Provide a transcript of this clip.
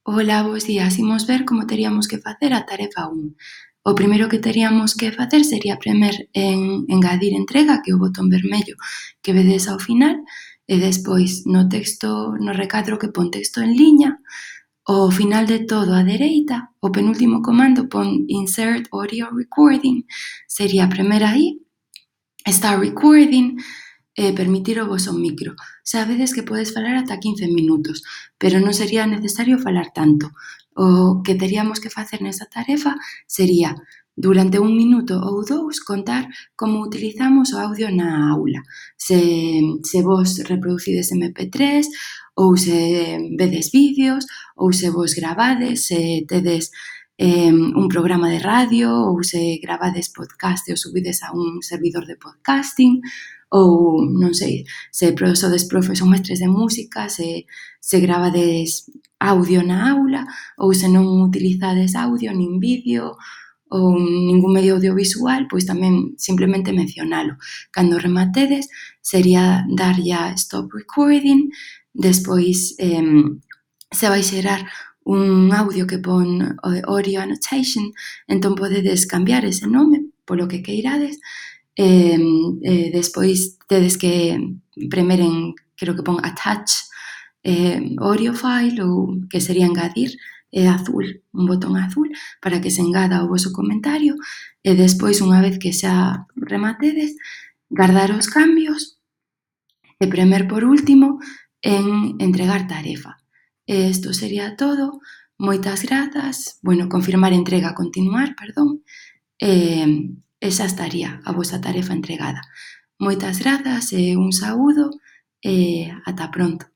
Ola, bos días. Imos ver como teríamos que facer a tarefa 1. O primeiro que teríamos que facer sería premer en engadir entrega, que é o botón vermello que vedes ao final, e despois no texto, no recadro que pon texto en liña, ao final de todo á dereita, o penúltimo comando pon Insert Audio Recording, sería premer aí, Start Recording, permitir o voso micro. Sabedes que podes falar ata 15 minutos, pero non sería necesario falar tanto. O que teríamos que facer nesa tarefa sería, durante 1 minuto ou 2, contar como utilizamos o audio na aula. Se vos reproducides MP3, ou se vedes vídeos, ou se vos gravades, se tedes un programa de radio, ou se gravades podcast e o subides a un servidor de podcasting, ou, non sei, se sodes profes ou mestres de música, se gravades audio na aula, ou se non utilizades audio nin vídeo ou ningún medio audiovisual, pois tamén simplemente mencionalo. Cando rematedes, sería darlle a Stop Recording, despois se vai xerar un audio que pon Audio Annotation, entón podedes cambiar ese nome polo que queirades, despois tedes que premer en, creo que pon Attach audio file, ou que sería engadir, é azul, un botón azul, para que se engada o voso comentario, e despois, unha vez que xa rematedes, gardar os cambios e premer por último en entregar tarefa. Isto sería todo. Moitas grazas. Confirmar entrega, continuar, perdón. E xa estaría a vosa tarefa entregada. Moitas grazas e un saúdo e ata pronto.